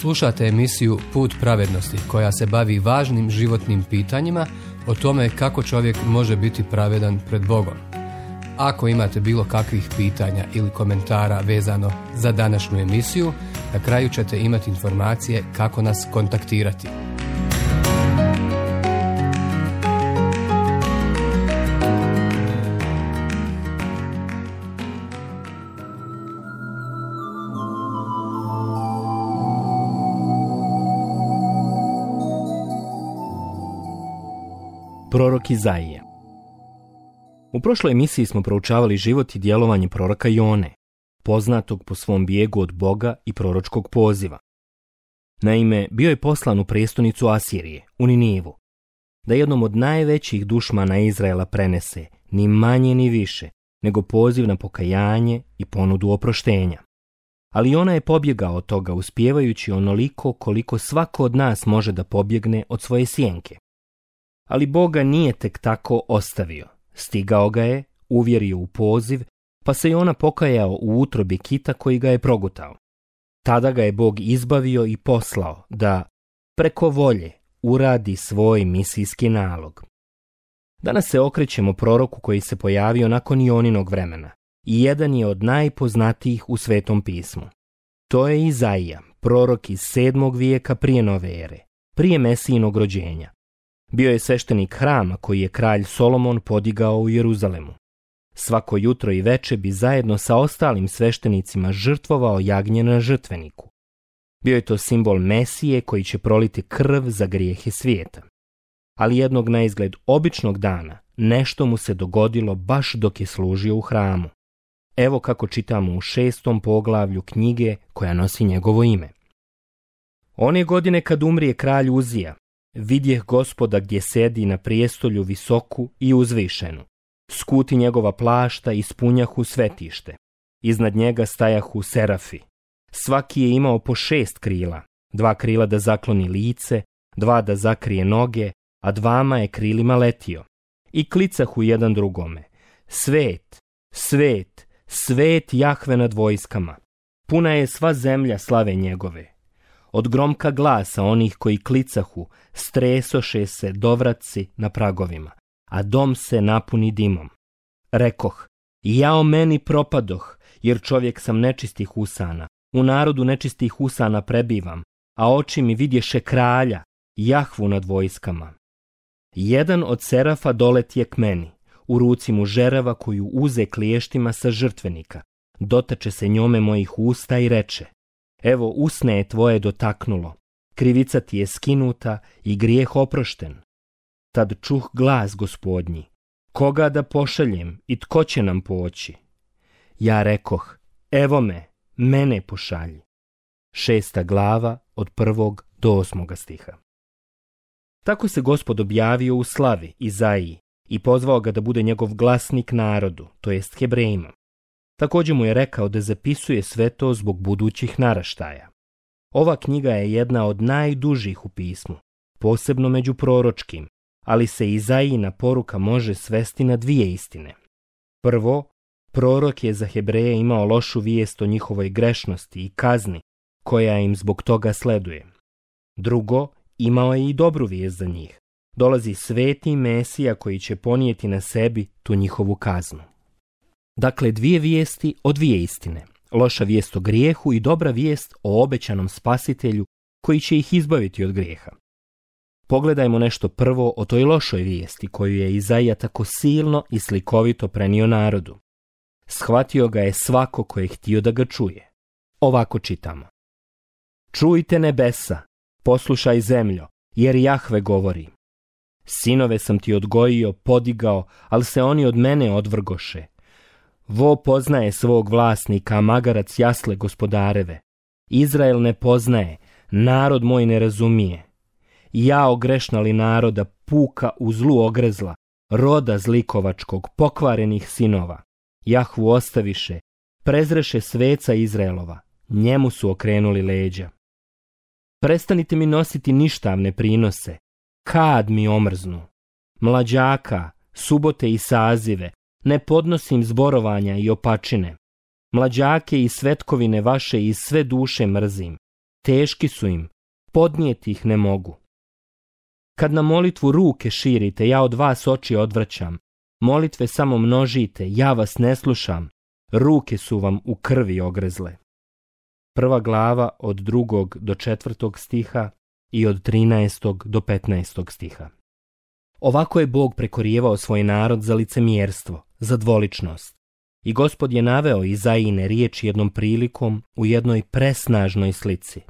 Slušate emisiju Put pravednosti koja se bavi važnim životnim pitanjima o tome kako čovjek može biti pravedan pred Bogom. Ako imate bilo kakvih pitanja ili komentara vezano za današnju emisiju, na kraju ćete imati informacije kako nas kontaktirati. Prorok Izaija. U prošloj emisiji smo proučavali život i djelovanje proroka Jone, poznatog po svom bijegu od Boga i proročkog poziva. Naime, bio je poslan u prijestolnicu Asirije, u Ninivu, da jednom od najvećih dušmana Izraela prenese, ni manje ni više, nego poziv na pokajanje i ponudu oproštenja. Ali Jona je pobjegao od toga, uspijevajući onoliko koliko svako od nas može da pobjegne od svoje sjenke. Ali Boga nije tek tako ostavio. Stigao ga je, uvjerio u poziv, pa se Jona pokajao u utrobi kita koji ga je progutao. Tada ga je Bog izbavio i poslao da, preko volje, uradi svoj misijski nalog. Danas se okrećemo proroku koji se pojavio nakon Joninog vremena i jedan je od najpoznatijih u Svetom pismu. To je Izaija, prorok iz 7. vijeka prije nove ere, prije Mesijinog rođenja. Bio je sveštenik hrama koji je kralj Solomon podigao u Jeruzalemu. Svako jutro i veče bi zajedno sa ostalim sveštenicima žrtvovao jagnje na žrtveniku. Bio je to simbol Mesije koji će proliti krv za grijehe svijeta. Ali jednog naizgled običnog dana nešto mu se dogodilo baš dok je služio u hramu. Evo kako čitamo u 6. poglavlju knjige koja nosi njegovo ime. One godine kad umrije kralj Uzija, vidjeh Gospoda gdje sedi na prijestolju visoku i uzvišenu. Skuti njegova plašta ispunjahu svetište. Iznad njega stajahu serafi. Svaki je imao po 6 krila. 2 krila da zakloni lice, 2 da zakrije noge, a 2 je krilima letio. I klicahu jedan drugome. Svet, svet, svet Jahve nad vojskama. Puna je sva zemlja slave njegove. Od gromka glasa onih koji klicahu, stresoše se dovratci na pragovima, a dom se napuni dimom. Rekoh, jao meni propadoh, jer čovjek sam nečistih usana, u narodu nečistih usana prebivam, a oči mi vidješe kralja, Jahvu nad vojskama. Jedan od serafa doletije k meni, u ruci mu žerava koju uze kliještima sa žrtvenika, dotače se njome mojih usta i reče, evo usne je tvoje dotaknulo, krivica ti je skinuta i grijeh oprošten. Tad čuh glas Gospodnji, koga da pošaljem i tko će nam poći? Ja rekoh, evo me, mene pošalji. 6. glava od 1. do 8. stiha. Tako se Gospod objavio u slavi Izaiji i pozvao ga da bude njegov glasnik narodu, to jest Hebrejima. Također mu je rekao da zapisuje sve to zbog budućih naraštaja. Ova knjiga je jedna od najdužih u pismu, posebno među proročkim, ali se Izaijina poruka može svesti na 2 istine. Prvo, prorok je za Hebreje imao lošu vijest o njihovoj grešnosti i kazni, koja im zbog toga sleduje. Drugo, imao je i dobru vijest za njih. Dolazi sveti Mesija koji će ponijeti na sebi tu njihovu kaznu. Dakle, 2 vijesti o 2 istine. Loša vijest o grijehu i dobra vijest o obećanom spasitelju koji će ih izbaviti od grijeha. Pogledajmo nešto prvo o toj lošoj vijesti koju je Izaija tako silno i slikovito prenio narodu. Shvatio ga je svako ko je htio da ga čuje. Ovako čitamo. Čujte nebesa, poslušaj zemljo, jer Jahve govori. Sinove sam ti odgojio, podigao, ali se oni od mene odvrgoše. Vo poznaje svog vlasnika, a magarac jasle gospodareve. Izrael ne poznaje, narod moj ne razumije. Jao grešnali naroda, puka u zlu ogrezla, roda zlikovačkog, pokvarenih sinova. Jahvu ostaviše, prezreše sveca Izraelova, njemu su okrenuli leđa. Prestanite mi nositi ništavne prinose, kad mi omrznu. Mlađaka, subote i sazive, ne podnosim zborovanja i opačine. Mlađake i svetkovine vaše iz sve duše mrzim. teški su im, podnijeti ih ne mogu. Kad na molitvu ruke širite, ja od vas oči odvraćam. Molitve samo množite, ja vas ne slušam. Ruke su vam u krvi ogrezle. 1. glava od 2. do 4. stiha i od 13. do 15. stiha. Ovako je Bog prekorijevao svoj narod za licemjerstvo, za dvoličnost. I Gospod je naveo Izaijine riječi jednom prilikom u jednoj presnažnoj slici.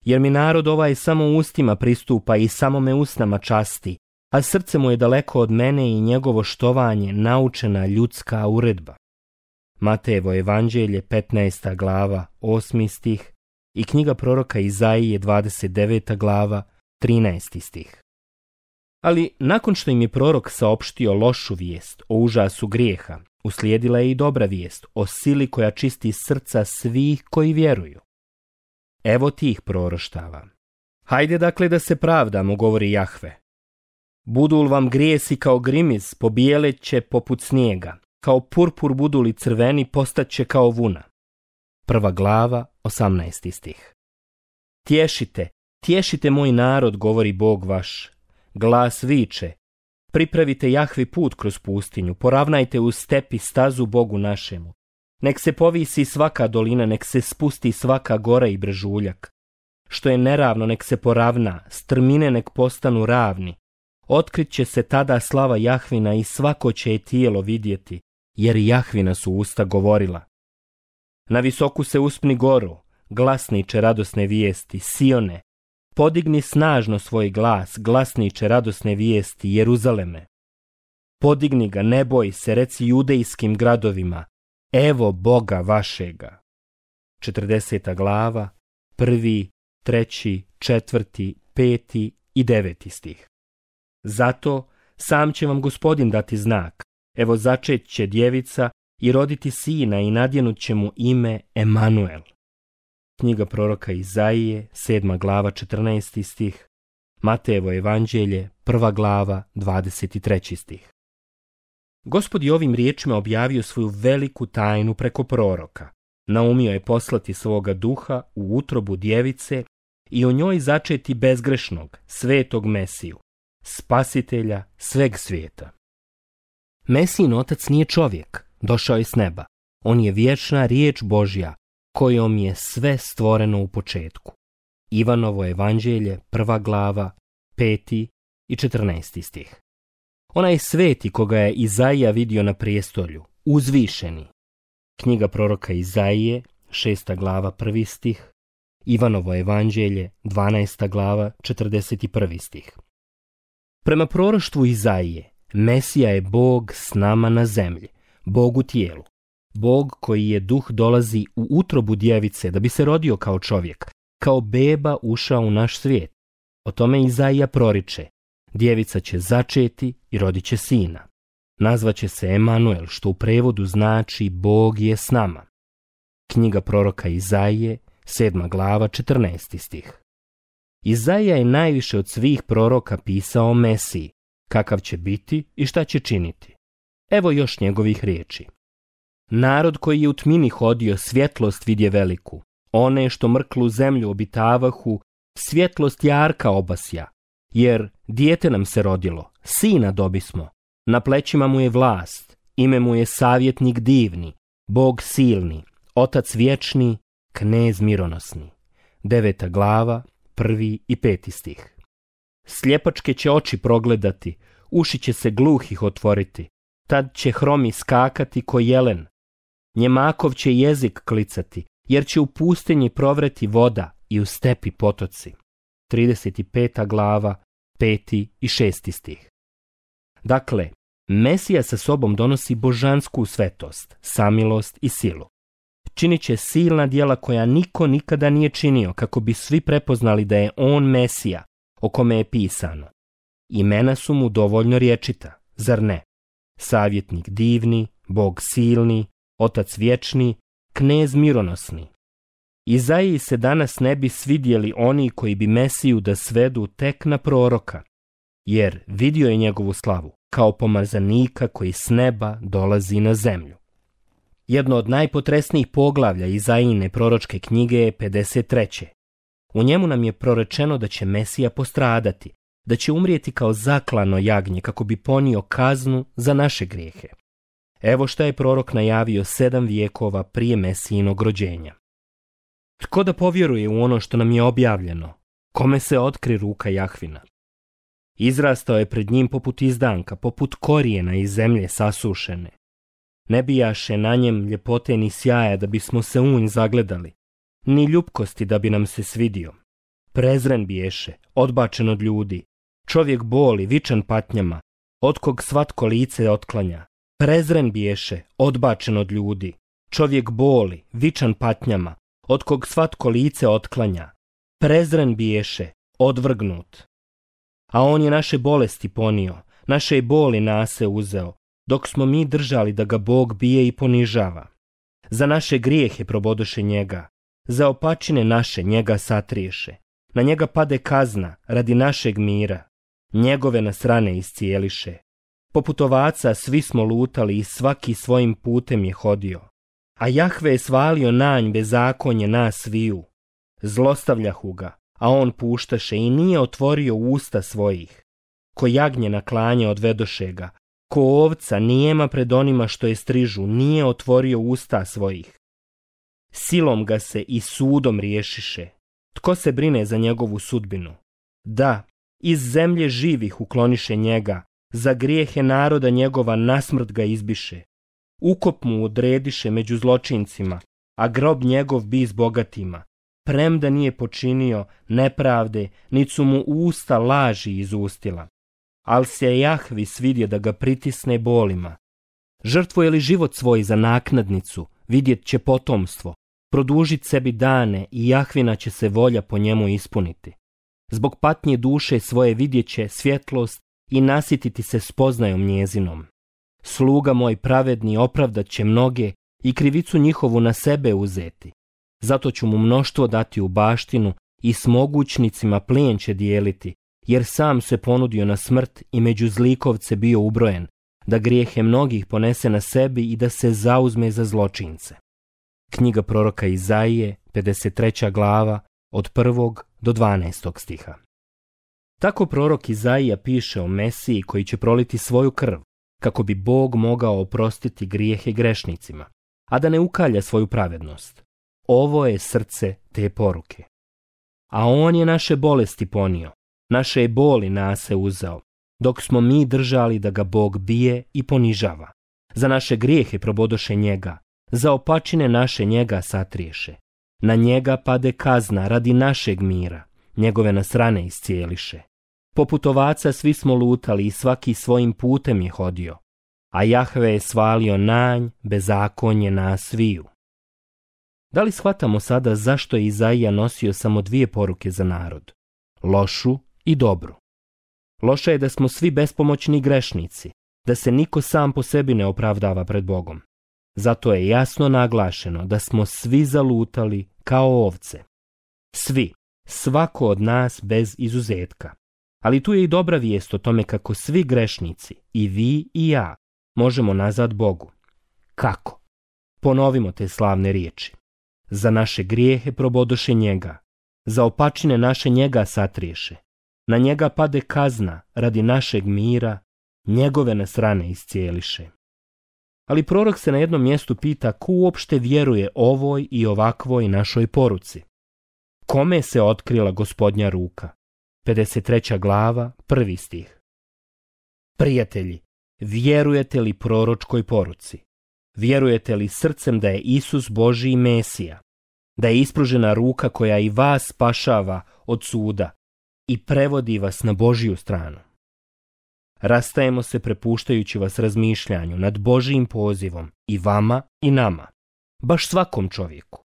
Jer mi narod ovaj samo ustima pristupa i samo me usnama časti, a srce mu je daleko od mene i njegovo štovanje naučena ljudska uredba. Matejevo evanđelje 15. glava 8. stih i knjiga proroka Izaije 29. glava 13. stih. Ali nakon što im je prorok saopštio lošu vijest o užasu grijeha, uslijedila je i dobra vijest o sili koja čisti srca svih koji vjeruju. Evo tih proroštava. Hajde dakle da se pravdamo, govori Jahve. Budu li vam grijesi kao grimiz, pobijelet će poput snijega, kao purpur budu li crveni, postaće kao vuna. 1. glava, 18. stih. Tješite moj narod, govori Bog vaš. Glas viče, pripravite Jahvi put kroz pustinju, poravnajte u stepi stazu Bogu našemu. Nek se povisi svaka dolina, nek se spusti svaka gora i brežuljak. Što je neravno, nek se poravna, strmine nek postanu ravni. Otkrit će se tada slava Jahvina i svako će je tijelo vidjeti, jer Jahvina su usta govorila. Na visoku se uspni goru, glasniče radosne vijesti, Sione. Podigni snažno svoj glas, glasniče radosne vijesti, Jeruzaleme. Podigni ga, ne boj se, reci judejskim gradovima, evo Boga vašega. 40. glava, 1., 3., 4., 5. i 9. stih. Zato sam će vam Gospodin dati znak, evo začet će djevica i roditi sina i nadjenut će mu ime Emanuel. Knjiga proroka Izaije, 7. glava, 14. stih, Matejevo evanđelje, 1. glava, 23. stih. Gospod je ovim riječima objavio svoju veliku tajnu preko proroka. Naumio je poslati svoga duha u utrobu djevice i o njoj začeti bezgrešnog, svetog Mesiju, spasitelja sveg svijeta. Mesijin otac nije čovjek, došao je s neba. On je vječna riječ Božja, kojom je sve stvoreno u početku. Ivanovo evanđelje, 1. glava, 5. i 14. stih. Onaj sveti koga je Izaija vidio na prijestolju, uzvišeni. Knjiga proroka Izaije, 6. glava, 1. stih. Ivanovo evanđelje, 12. glava, 41. stih. Prema proroštvu Izaije, Mesija je Bog s nama na zemlji, Bog u tijelu. Bog koji je duh dolazi u utrobu djevice da bi se rodio kao čovjek, kao beba ušao u naš svijet. O tome Izaija proriče, djevica će začeti i rodit će sina. Nazvaće se Emanuel, što u prevodu znači Bog je s nama. Knjiga proroka Izaije, 7. glava, 14. stih. Izaija je najviše od svih proroka pisao o Mesiji, kakav će biti i šta će činiti. Evo još njegovih riječi. Narod koji je u tmini hodio, svjetlost vidje veliku. One što mrklu zemlju obitavahu, svjetlost jarka obasja. Jer dijete nam se rodilo, sina dobismo. Na plećima mu je vlast, ime mu je savjetnik divni, Bog silni, otac vječni, knez mironosni. 9. glava, 1. i 5. stih. Sljepačke će oči progledati, uši će se gluhih otvoriti, tad će hromi skakati ko jelen. Njemakov će jezik klicati, jer će u pustinji provreti voda i u stepi potoci. 35. glava, 5. i 6. stih. Dakle, Mesija sa sobom donosi božansku svetost, samilost i silu. Činit će silna djela koja niko nikada nije činio, kako bi svi prepoznali da je on Mesija, o kome je pisano. Imena su mu dovoljno rječita, zar ne? Savjetnik divni, Bog silni, otac vječni, knez mironosni. Izaiji se danas ne bi svidjeli oni koji bi Mesiju da svedu tek na proroka, jer vidio je njegovu slavu kao pomazanika koji s neba dolazi na zemlju. Jedno od najpotresnijih poglavlja Izaijine proročke knjige je 53. U njemu nam je prorečeno da će Mesija postradati, da će umrijeti kao zaklano jagnje kako bi ponio kaznu za naše grijehe. Evo šta je prorok najavio 7 vijekova prije Mesijinog rođenja. Tko da povjeruje u ono što nam je objavljeno? Kome se otkri ruka Jahvina? Izrastao je pred njim poput izdanka, poput korijena iz zemlje sasušene. Ne bijaše na njem ljepote ni sjaja da bismo se u nj zagledali, ni ljupkosti da bi nam se svidio. Prezren biješe, odbačen od ljudi, čovjek boli, vičan patnjama, od kog svatko lice otklanja. Prezren biješe, odbačen od ljudi, čovjek boli, vičan patnjama, od kog svatko lice otklanja. Prezren biješe, odvrgnut. A on je naše bolesti ponio, naše boli nase uzeo, dok smo mi držali da ga Bog bije i ponižava. Za naše grijehe probodoše njega, za opačine naše njega satriješe. Na njega pade kazna radi našeg mira, njegove nas rane iscijeliše. Poput ovaca svi smo lutali i svaki svojim putem je hodio. A Jahve je svalio na nj bezakonje nas sviju. Zlostavljahu ga, a on puštaše i nije otvorio usta svojih. Ko jagnje na klanje odvedoše ga, ko ovca nijema pred onima što je strižu, nije otvorio usta svojih. Silom ga se i sudom riješiše. Tko se brine za njegovu sudbinu? Da, iz zemlje živih ukloniše njega, za grijehe naroda njegova nasmrt ga izbiše. Ukop mu odrediše među zločincima, a grob njegov bi s bogatima. Premda nije počinio nepravde, nit su mu usta laži izustila. Al se Jahvi svidio da ga pritisne bolima. Žrtvuje li život svoj za naknadnicu, vidjet će potomstvo, produžit sebi dane i Jahvina će se volja po njemu ispuniti. Zbog patnje duše svoje vidjet će svjetlost i nasititi se spoznajom njezinom. Sluga moj pravedni opravdat će mnoge i krivicu njihovu na sebe uzeti. Zato ću mu mnoštvo dati u baštinu i s mogućnicima plijen će dijeliti, jer sam se ponudio na smrt i među zlikovce bio ubrojen, da grijehe mnogih ponese na sebi i da se zauzme za zločince. Knjiga proroka Izaije, 53. glava, od 1. do 12. stiha. Tako prorok Izaija piše o Mesiji koji će proliti svoju krv, kako bi Bog mogao oprostiti grijehe grešnicima, a da ne ukalja svoju pravednost. Ovo je srce te poruke. A on je naše bolesti ponio, naše je boli nase uzeo, dok smo mi držali da ga Bog bije i ponižava. Za naše grijehe probodoše njega, za opačine naše njega satriješe. Na njega pade kazna radi našeg mira, njegove nas rane iscijeliše. Poput ovaca svi smo lutali i svaki svojim putem je hodio, a Jahve je svalio na nj bezakonje nas sviju. Da li shvatamo sada zašto je Izaija nosio samo 2 poruke za narod? Lošu i dobru. Loša je da smo svi bespomoćni grešnici, da se niko sam po sebi ne opravdava pred Bogom. Zato je jasno naglašeno da smo svi zalutali kao ovce. Svi, svako od nas bez izuzetka. Ali tu je i dobra vijest o tome kako svi grešnici, i vi i ja, možemo nazad Bogu. Kako? Ponovimo te slavne riječi. Za naše grijehe probodoše njega, za opačine naše njega satriješe. Na njega pade kazna radi našeg mira, njegove nas rane iscijeliše. Ali prorok se na jednom mjestu pita ko uopšte vjeruje ovoj i ovakvoj našoj poruci. Kome se otkrila Gospodnja ruka? 53. glava, 1. stih. Prijatelji, vjerujete li proročkoj poruci? Vjerujete li srcem da je Isus Božji Mesija, da je ispružena ruka koja i vas spašava od suda i prevodi vas na Božju stranu? Rastajemo se prepuštajući vas razmišljanju nad Božjim pozivom i vama i nama, baš svakom čovjeku.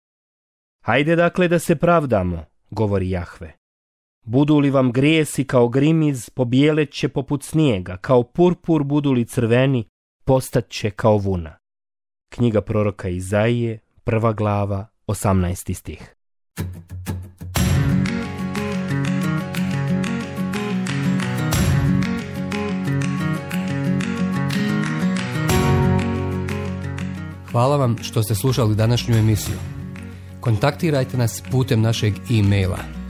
Hajde dakle da se pravdamo, govori Jahve. Budu li vam grijesi kao grimiz, pobijelet će poput snijega, kao purpur budu li crveni, postat će kao vuna. Knjiga proroka Izaije, 1. glava, 18. stih. Hvala vam što ste slušali današnju emisiju. Kontaktirajte nas putem našeg e-maila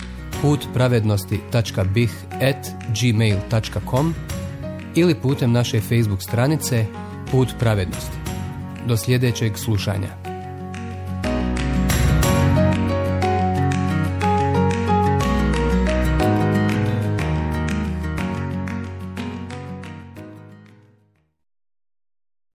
putpravednosti.bih@gmail.com ili putem naše Facebook stranice Put pravednosti. Do sljedećeg slušanja.